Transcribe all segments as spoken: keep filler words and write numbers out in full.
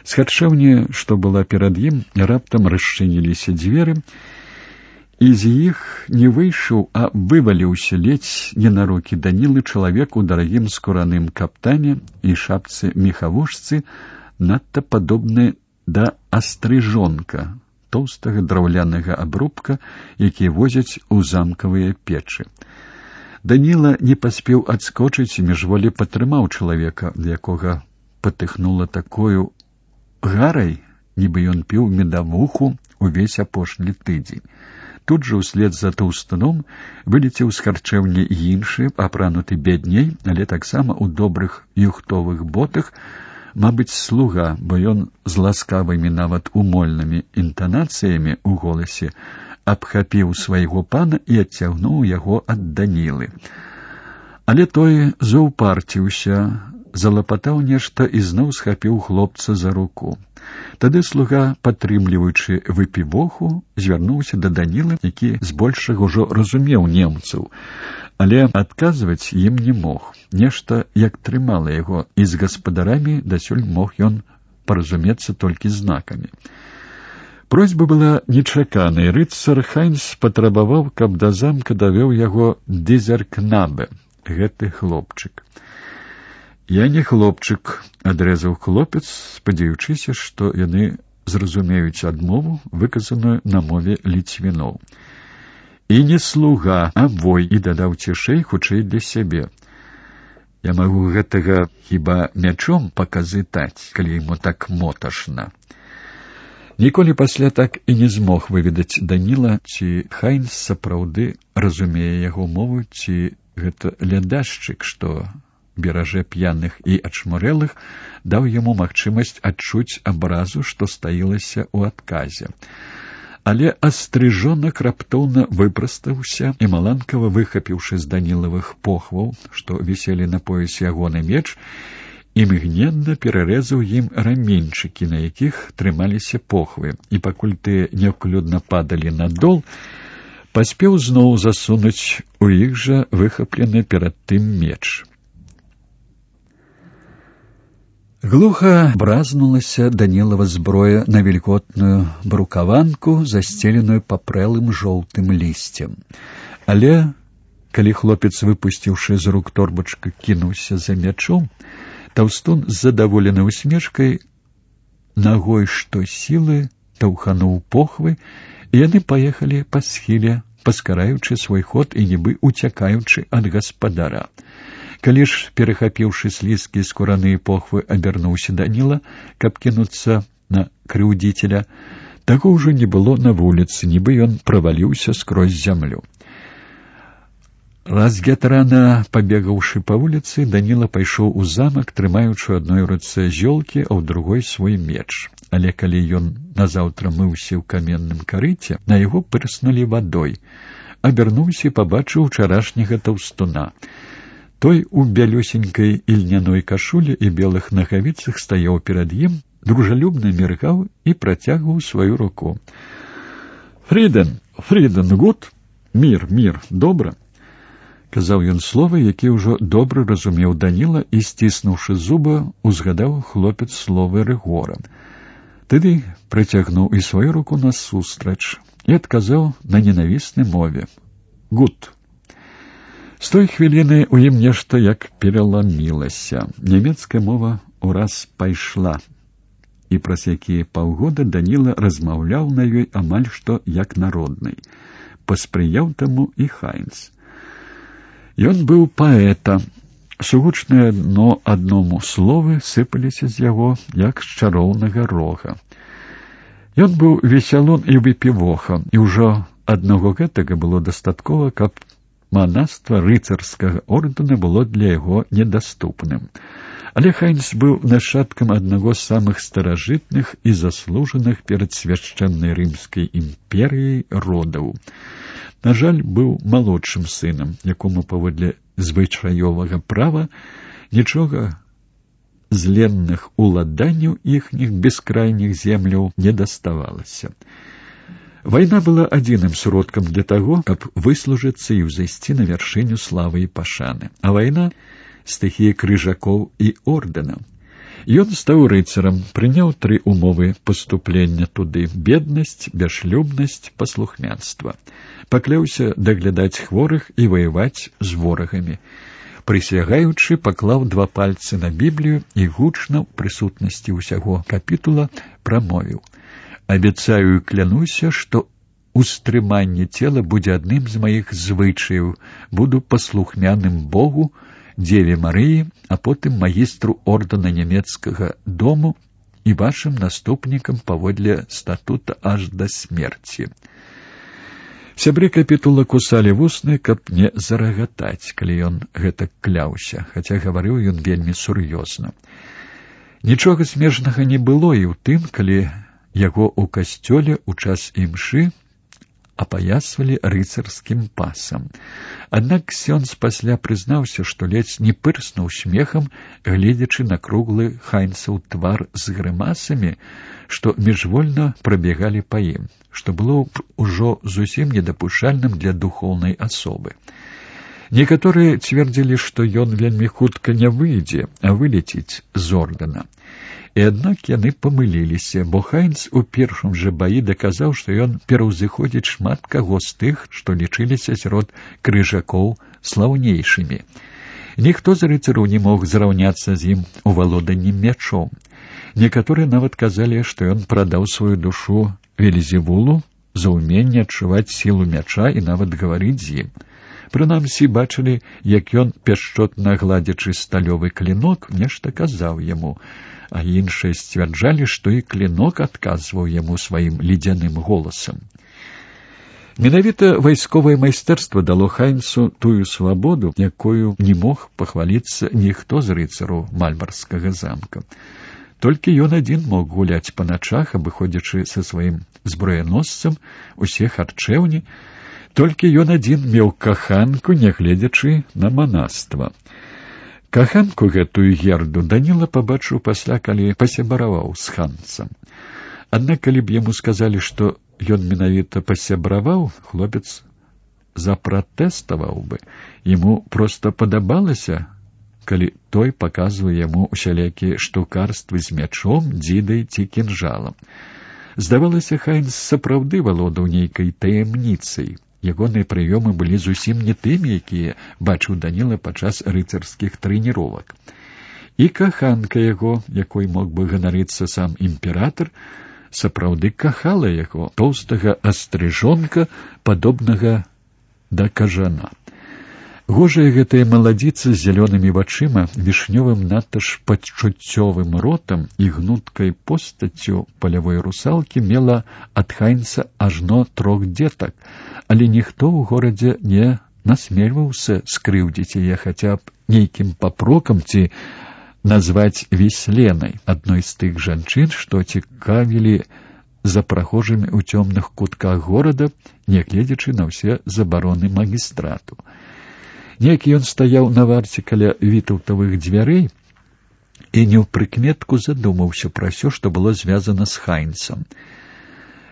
З харчэўні, што была перад ім, раптам расчыніліся дзверы, і з іх не выйшаў, а вываліўся ледзь не на рукі Данілы чалавек у дарагім скураным каптане і шапцы мехавушцы, надта падобны да астрыжонка, тоўстага драўлянага абрубка, які возяць у замкавыя печы. Даніла не паспеў адскочыць і міжволі падтрымаў чалавека, якога патыхнула такою гарай, нібы ён піў медавуху увесь апошні тыдзень. Тут жа ўслед за таўстуном вылецеў з харчэўні іншы, апрануты бядней, але таксама ў добрых юхтовых ботах, мабыць, слуга, бо ён з ласкавымі нават умольнымі інтанацыямі ў голасе абхапіў свайго пана і адцягнуў яго ад Данілы. Але той заўпарціўся, залапатаў нешта і зноў схапіў хлопца за руку. Тады слуга, падтрымліваючы выпівоху, звярнуўся да Данілы, які збольшага ўжо разумеў немцаў, але адказваць ім не мог. Нешта як трымала яго, і з гаспадарамі дасюль мог ён паразумецца толькі знакамі. Просьба была нечаканай. Рыцар Хайнц патрабаваў, каб да замка давёў яго дызеркнабе, гэты хлопчык. «Я не хлопчык», — адрэзаў хлопец, спадзяючыся, што яны зразумеюць адмову, выказаную на мове ліцвіноў. «І не слуга, а вой», — і дадаў цішэй, хутчэй для сябе. «Я магу гэтага хіба мячом паказытаць, калі яму так моташна». Ніколі пасля так і не змог выведаць Даніла, ці Хайнц сапраўды разумее яго мову, ці гэта лядашчык, што бераже п'яных і ачмурэлых, даў яму магчымасць адчуць абразу, што стаілася ў адказе. Але астрыжонак раптоўна выпрастаўся і, маланкава выхапіўшы з Данілавых похваў, што віселі на поясе ягоны меч, імгненна перарэзаў ім раменьчыкі, на якіх трымаліся похвы, і пакуль тыя няўклюдна падалі на дол, паспеў зноў засунуць у іх жа выхаплены перад тым меч. Глуха бразнулася Данілава зброя на вільготную брукаванку, засцеленую папрэлым жоўтым лісцем. Але, калі хлопец, выпусціўшы з рук торбачка, кінуўся за мячом, таўстун з задаволенай усмешкай нагой што сілы таўхануў похвы, і яны паехалі па схіле, паскараючы свой ход і нібы уцякаючы ад гаспадара. Калі ж, перахапіўшы слізкія скураныя похвы, абярнуўся Даніла, каб кінуцца на крыўдзіцеля, таго ўжо не было на вуліцы, нібы ён праваліўся скрозь зямлю. Разгятрана пабегаўшы па вуліцы, Даніла пайшоў у замак, трымаючы ў адной руцэ зёлкі, а ў другой свой меч. Але калі ён назаўтра мыўся ў каменным карыце, на яго прыснулі вадой. Абярнуўся і пабачыў учарашняга таўстуна. Той у бялюсенькай ільняной кашулі і белых нагавіцах стаяў перад ім, дружалюбна міргаў і працягваў сваю руку. «Фріден, Фріден, гуд? Мір, мір, добра?» Казаў ён словы, які ўжо добра разумеў Даніла, і, сціснуўшы зубы, узгадаў хлопец словы Рыгора. Тады прыцягнуў і сваю руку насустрач і адказаў на ненавіснай мове. «Гуд». З той хвіліны ў ім нешта як пераламілася. Нямецкая мова ураз пайшла, і праз якія паўгода Даніла размаўляў на ёй амаль што як народнай. Паспрыяў таму і Хайнц. Ён быў паэта. Сугучныя адно адному словы сыпаліся з яго, як з чароўнага рога. Ён быў весялун і выпівоха, і ўжо аднаго гэтага было дастаткова, каб манаства рыцарскага ордэна было для яго недаступным. Але Хайнц быў нашчадкам аднаго з самых старажытных і заслужаных перад свяшчэннай рымскай імперыяй родаў. На жаль, быў малодшым сынам, якому паводле звычаёвага права нічога з ленных уладанняў іхніх бескрайніх земляў не даставалася. Вайна была адзіным сродкам для таго, каб выслужыцца і ўзайсці на вяршыню славы і пашаны. А вайна — стыхія крыжакоў і ордэнаў. Ён стаў рыцарам, прыняў тры умовы паступлення туды: беднасць, бясшлюбнасць, паслухмянства. Пакляўся даглядаць хворых і ваяваць з ворагамі. Прысягаючы, паклаў два пальцы на Біблію і гучна ў прысутнасці ўсяго капітула прамовіў: «Абяцаю і клянуся, што устрыманне цела будзе адным з маіх звычаяў, буду паслухмяным Богу, Дзеве Марыі, а потым магістру ордэна нямецкага дому і вашым наступнікам паводле статута аж да смерці». Сябры капітула кусалі вусны, каб не зарагатаць, калі ён гэтак кляўся, хаця гаварыў ён вельмі сур'ёзна. Нічога смешнага не было і ў тым, калі яго ў касцёле ў час імшы апаясвалі рыцарскім пасам. Аднак ксёндз пасля прызнаўся, што ледзь не пырснуў смехам, гледзячы на круглы Хайнцаў твар з грымасамі, што міжвольна прабегалі па ім, што было ўжо зусім недапушчальным для духоўнай асобы. Некаторыя цвердзілі, што ён вельмі хутка не выйдзе, а вылеціць з ордэна. І аднак яны памыліліся, бо Хайнц у першым жа баі даказаў, што ён пераўзыходзіць шмат каго з тых, што лічыліся сярод крыжакоў слаўнейшымі. Ніхто з рыцараў не мог зраўняцца з ім у валоданні мячом. Некаторыя нават казалі, што ён прадаў сваю душу Велізевулу за ўменне адчуваць сілу мяча і нават гаварыць з ім. Прынамсі, бачылі, як ён, пяшчотна гладзячы сталёвы клінок, нешта казаў яму, а іншыя сцвярджалі, што і клінок адказваў яму сваім ледзяным голасам. Менавіта вайсковае майстэрства дало Хайнцу тую свабоду, якою не мог пахваліцца ніхто з рыцараў Мальбарскага замка. Толькі ён адзін мог гуляць па начах, абыходзячы са сваім зброяносцам усе харчэўні, толькі ён адзін меў каханку, нягледзячы на манаства. Каханку гэтую Герду Даніла пабачыў пасля, калі пасябраваў з ханцам. Аднак, калі б яму сказалі, што ён менавіта пасябраваў, хлопец запратэставаў бы. Яму проста падабалася, калі той паказвае яму усялякія штукарствы з мячом, дзідай ці кінжалам. Здавалася, Хайнц сапраўды валодаў нейкай таямніцай. Ягоныя прыёмы былі зусім не тымі, якія бачыў Даніла падчас рыцарскіх трэніровак. І каханка яго, якой мог бы ганарыцца сам імператар, сапраўды кахала яго, тоўстага астрыжонка, падобнага да кажана. Гожая гэтая маладзіца з зялёнымі вачыма, вішнёвым надта ж пачуццёвым ротам і гнуткай постаццю палявой русалкі мела ад Хайнца ажно трох дзетак, але ніхто ў горадзе не насмельваўся скрыўдзіць яе хаця б нейкім папрокам ці назваць Вісленай, адной з тых жанчын, што цікавілі за прахожымі ў цёмных кутках горада, нягледзячы на ўсе забароны магістрату. Неякі ён стаяў на варце каля вітаўтавых дзвярэй і не ў прыкметку задумаўся пра ўсё, што было звязана з Хайнцам.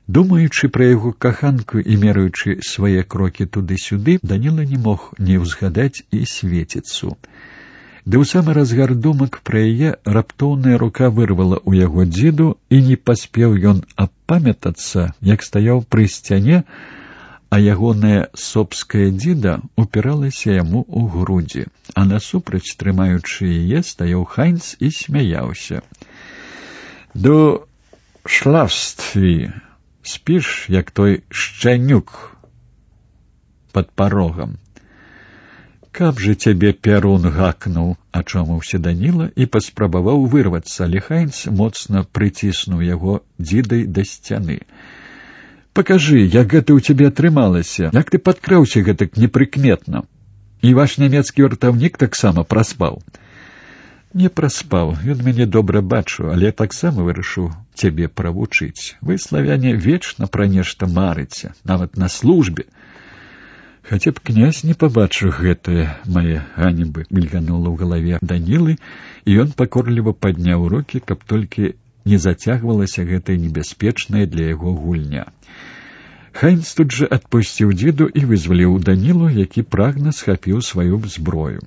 Думаючы пра яго каханку і мераючы свае крокі туды-сюды, Даніла не мог не ўзгадаць і Светіцу. Ды ў самы разгар думак пра яе раптоўная рука вырвала ў яго дзіду, і не паспеў ён апамятацца, як стаяў пры сцяне, а ягоная собская дзіда упіралася яму ў грудзі, а насупраць, трымаючы яе, стаяў Хайнц і смяяўся. «Ду шлафстві, спіш, як той шчанюк пад парогам. Каб жа цябе пярун гакнуў», — ачомаўся Даніла і паспрабаваў вырвацца, але Хайнц моцна прыціснуў яго дзідай да сцяны. «Пакажы, як гэта ў цябе атрымалася, як ты падкраўся гэтак непрыкметна. І ваш нямецкі вартаўнік таксама праспаў». «Не праспаў, ён мяне добра бачыў, але таксама вырашыў цябе правучыць. Вы, славяне, вечна пра нешта марыце, нават на службе». «Хаця б князь не пабачыў гэтае мае ганебы», — мільганула ў галаве Данілы, і ён пакорліва падняў рукі, каб толькі не зацягвалася гэтая небяспечная для яго гульня. Хайнц тут жа адпусціў дзіду і вызваліў Данілу, які прагна схапіў сваю зброю.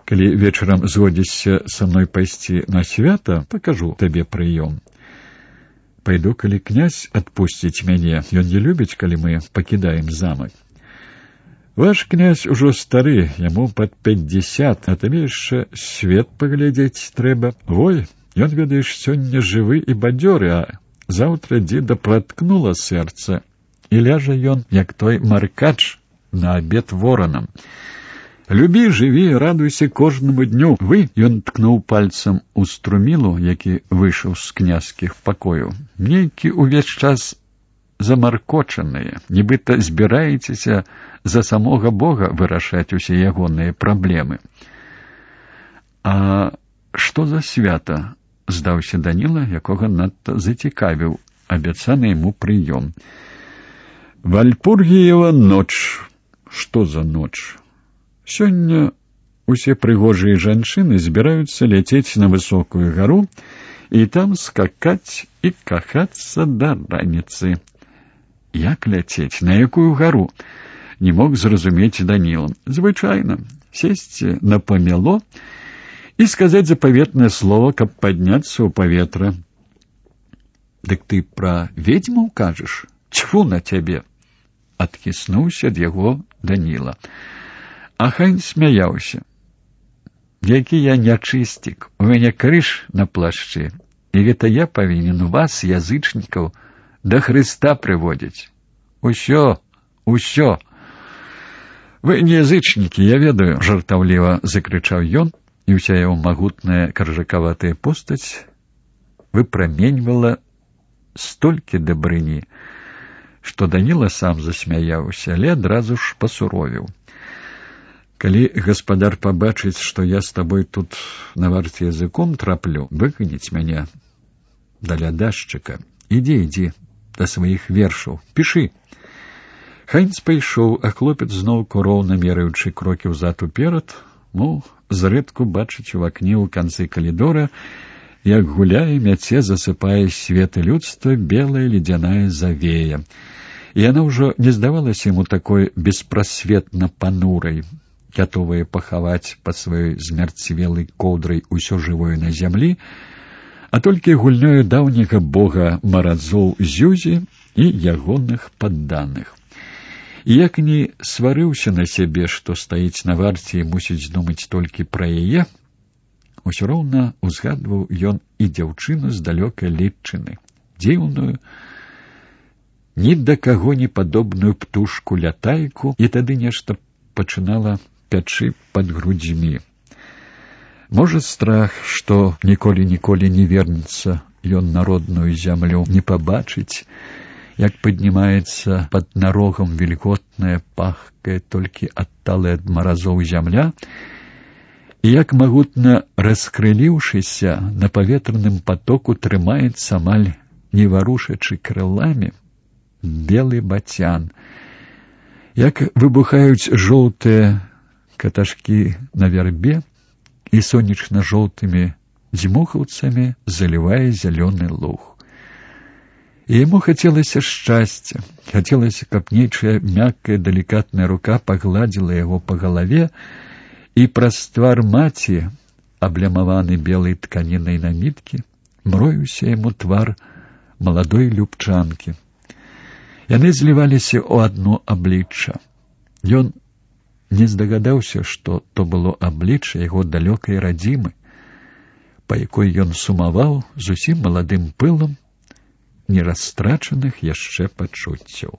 Калі вечарам згодзішся са мной пайсці на свята, пакажу табе прыём. Пайду, калі князь адпусціць мяне. Ён не любіць, калі мы пакідаем замак. Ваш князь ужо стары, яму пад пятьдесят, а табе яшчэ свет паглядзець трэба. Вой, ён, ведаеш, сёння жывы і бадзёры, а заўтра дзеда праткнула сэрца, і ляжа ён, як той маркач, на абед воранам. Любі, жыві, радуйся кожнаму дню. Вы, ён ткнуў пальцам у струмілу, які выйшаў з князькіх пакояў. Нейкі ўвесь час замаркочаныя, нібыта збіраецеся за самога Бога вырашаць усе ягоныя праблемы. А што за свята? Здаўся Даніла, якога надта зацікавіў абяцаны яму прыём. Вальпургіева ноч. Што за ноч? Сёння усе прыгожыя жанчыны збіраюцца ляцець на высокую гару і там скакаць і кахацца да раніцы. Як ляцець? На якую гару? Не мог зразумець Даніла. Звычайна, сесці на памяло і сказаць запаветнае слово, каб падняцца ў паветра. Дык ты пра ведзьму кажаш? Цьфу на цябе! Адхіснуўся ад яго Даніла. А Хайн смяяўся. Які я нячыстік, у мяне крыж на плашчы, і гэта я павінен вас, язычнікаў, да Хрыста прыводзіць. Усё, усё. Вы не язычнікі, я ведаю, жартаўліва закрычаў ён, і ўся яго магутная каржакаватая постаць выпраменьвала столькі дабрыні, што Даніла сам засмяяўся, але адразу ж пасуровіў. Калі гаспадар пабачыць, што я з табой тут на варце языком траплю, выганіць мяне да лядашчыка. Ідзі, ідзі, да сваіх вершаў, пішы. Хайнц пайшоў, а хлопец зноўку роўна мераючы крокі ўзад уперад, мол, зрэдку бачыць у акне ў канцы калідора, як гуляе, мяце, засыпае светы людства белая ледзяная завея. І яна ўжо не здавалася яму такой беспрасветна панурай, гатовая пахаваць пад сваёй змярцвелай коўдрай усё жывое на зямлі, а толькі гульнёю даўняга бога маразоў Зюзі і ягоных падданых. І як не сварыўся на сябе, што стаіць на варце і мусіць думаць толькі пра яе, усё роўна узгадваў ён і дзяўчыну з далёкай Літчыны, дзіўную, ні да каго не падобную птушку-лятайку, і тады нешта пачынала пячы пад грудзьмі. Можа, страх, што ніколі-ніколі не вернецца ён на родную зямлю, не пабачыць, як паднімаецца пад нарогам вільготная, пахкая, толькі адталая ад маразоў зямля, і як магутна раскрыліўшыся на паветраным патоку трымаецца амаль не варушачы крыламі белы бацян, як выбухаюць жоўтыя каташкі на вярбе і сонечна-жоўтымі дзьмухаўцамі залівае зялёны луг. І яму хацелася шчасця, хацелася, каб нечая мяккая, далікатная рука пагладзіла яго па галаве, і праз твар маці, аблямаваны белай тканінай наміткі, мроіўся яму твар маладой любчанкі. Яны зліваліся ў адно аблічча. Ён не здагадаўся, што то было аблічча яго далёкай радзімы, па якой ён сумаваў зусім маладым пылам нерастрачаных яшчэ пачуццяў.